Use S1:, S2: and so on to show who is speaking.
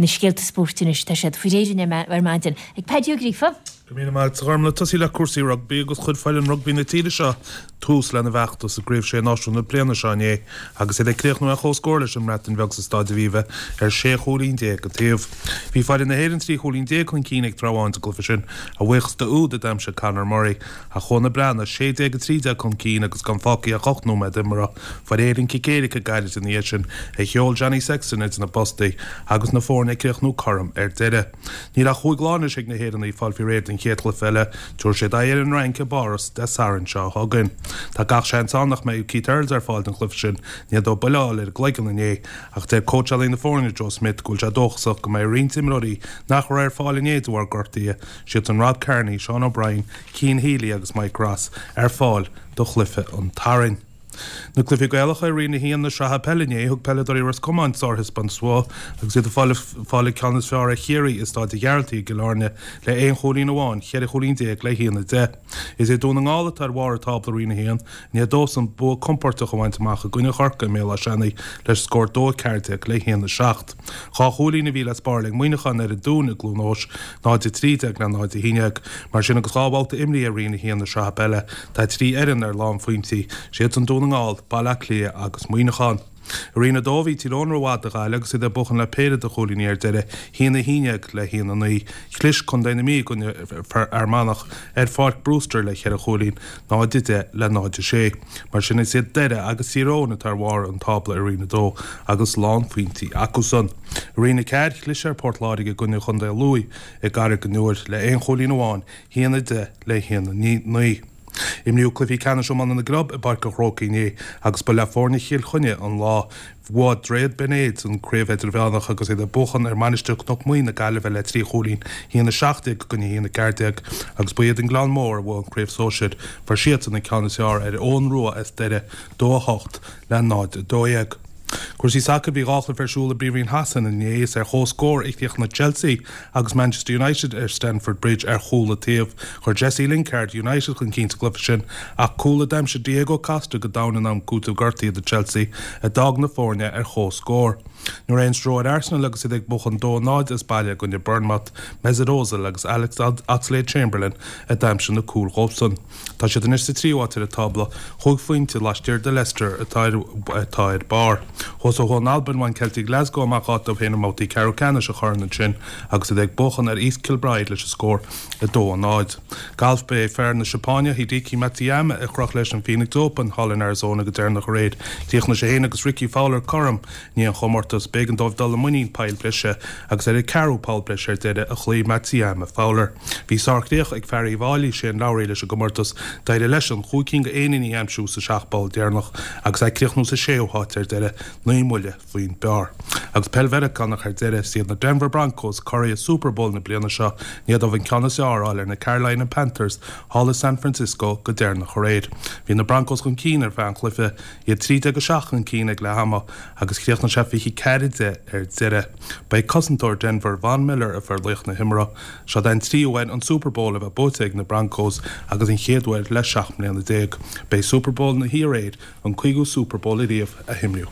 S1: Na scéalta spóirt anois, tá siad faoi réir ar maidin ag Paddy Ó Gríofa.
S2: Go raibh míle maith agat, a Ghormlaith. Tosaí le cúrsaí rugbaí agus chuir foireann rugbaí na tíre seo tús lena bhfeachtas i gCraobh Sé Náisiún na bliana seo inné agus iad ag críochnú ar comhscór leis an mBreatain Bheag sa Staid Aviva ar 16 chúilín an taobh. Bhí foireann na hÉireann 13 chúilín chun cinn ag tráth amháin sa gcluiche sin, a bhuíochas d'úd a d'aimsigh Conor Murray, ach chuaigh na Breathnaigh 16-13 chun cinn agus gan fágtha ach 8 nóiméad imeartha. Fuair Éirinn cic éirice gairid ina dhiaidh sin a sheol Johnny Sexton idir na postaí agus na foirne ag críochnú cothrom ar deireadh. Níl ach chúig lá anois ag na hÉireannaigh fáil faoi réir don chéad chluiche eile. Tabharfaidh siad aghaidh ar an Fhrainc i bPáras Dé Sathairn seo chugainn. Tá gach seans ann nach mbeidh Keith Earls ar fáil don chluiche sin i ndiaidh dó buille a fháil ar an gcloigeann inné ach deir cóitseálaí na foirne Joe Schmidt go bhfuil sé dóchasach go mbeidh roinnt imreoirí nach raibh ar fáil inné de bharr gortuithe, siadsan Rob Kearney, Sean O'Brien, Cian Healy agus Mike Ross, ar fáil do chluiche an tSathairn. Na cluichí Gaelacha i Roinn 1 na Sraithe Peile inné, thug peileadóirí Ros Comáin sárthaispeántas uathu agus iad ag fáil fáil an ceann is fearr ar Chiarraí i Stáid an Ghearaltaigh i gCill Airne le aon chúilín amháin, 14 chúilín le 1-10. Is é Dún na nGall atá ar bharr an tábla i Roinn 1, i ndiaidh dósan bua compóirteach a bhaint amach i gcoinne Chorcaí i mBéal Átha Seanaidh le scór 2-14 le 1-7. Dhá chúilín a bhí le spáráil ag Muineachán ar an Dún i gCluain Eois, 0-13 le 0-11. Mar sin agus dhá bhabhta imrithe i Roinn 1 na Sraithe Peile, tá trí fhoireann ar lánphointí, siadsan Dún na nGall, Baile Átha Cliath agus Muineachán. I Roinn 2 bhí Tír Eoghain rómhaith do Ghaillimh agus iad ag buachan le péire de chúilíní ar deireadh, 1-11 le 1-9. Chlis Contae na Mí i gcoinne Fhear Manach ar Pháirc Brewster le cheithre chúilín, 0-10 le 0-6. Mar sin is iad Doire agus Tír Eoghain atá ar bharr an tábla i Roinn 2 agus lánphointí acusan. I Roinn 4, chlis ar Port Láirge i gcoinne Chontae Lú i gCarraig an Iúir le aon chúilín amháin, 1-10 le 1-9. Imríodh cluichí ceannais iomána na gclub i bPáirc an Chrócaigh inné agus ba le foirne Chill Chainnigh an lá. Bhuaigh Droichead Bhinn Éadair an Craobh Idirmheánach agus iad ag buachan ar Mainistir Chnoc Muaidhe na Gaillimhe le 3 chúilín, 1-17 i gcoinne 1-14, agus ba iad an Gleann Mór a bhuaigh an Craobh Sóisir. Fuair siadsan an ceann is fearr ar Eoghan Rua as Doire, 2-8 le 0-12. Cúrsaí sacair Bhí dhá chluiche ar siúl i bPríomhroinn Shasana inné. Is ar chomhscór a chríochnaigh Chelsea agus Manchester United ar Stamford Bridge ar chúl an taobh. Chuir Jesse Lingard United chun cinn sa gcluiche sin ach cúl a d'aimsigh Diego Costa go domhain in am cúitimh gortaithe do Chelsea a d'fhág na foirne ar chomhscór. Ní raibh aon stró ar Arsenal agus iad ag buachan 2-0 as baile i gcoinne Bournemouth, Mesut Ozil agus Alex Oxlade-Chamberlain a d'aimsigh na cúil dhóibhsan. Tá siad anois sa tríú háit ar an tábla, chúig phointe laistiar de Leicester atá atá ar barr. Thuas ó thuaidh in Albain, bhain Celtic Glasgow amach áit dóibh féin i mbabhtaí ceathrú ceannais an choirn ansin agus iad ag buachan ar East Kilbride leis an scór 2-0. Galf Ba é fear na Seapáine, Hideki Matsuyama, a chroch leis an Phoenix Open thall in Arizona go deireanach aréir. Chríochnaigh sé féin agus Rickie Fowler cothrom i ndiaidh an chomórtais. B'éigean dóibh dul i muinín poill breise agus ar an ceathrú poll breise ar deireadh a chloígh Matsuyama Fowler. Bhí sárchríoch ag fear Uíbh Fhailí, Shane Lowry, leis an gcomórtas. D'éirigh leisean chúig cinn de éiníní a aimsiú sa seacht bpoll deireanach agus é ag críochnú sa séú háit ar deireadh, naoi mbuille faoin bpar. Agus peil Mheiriceánach ar deireadh, is iad na Denver Broncos curaidh Super Bowl na bliana seo, i ndiaidh dóibh an ceann is fearr a fháil ar na Carolina Panthers thall i San Francisco go deireanach aréir. Bhí na Broncos chun cinn ar feadh an chluiche, iad 13-7 chun cinn ag leath ama agus chríochnaigh sé 24-10 ar deireadh. Ba é cosantóir Denver, Von Miller a fuair laoch na himeartha. Seo é an tríú huair an Super Bowl a bheith buaite ag na Broncos agus an chéad uair le 17 mbliana. B'é Super Bowl na hí aréir an cúigiú Super Bowl ariamh a himríodh.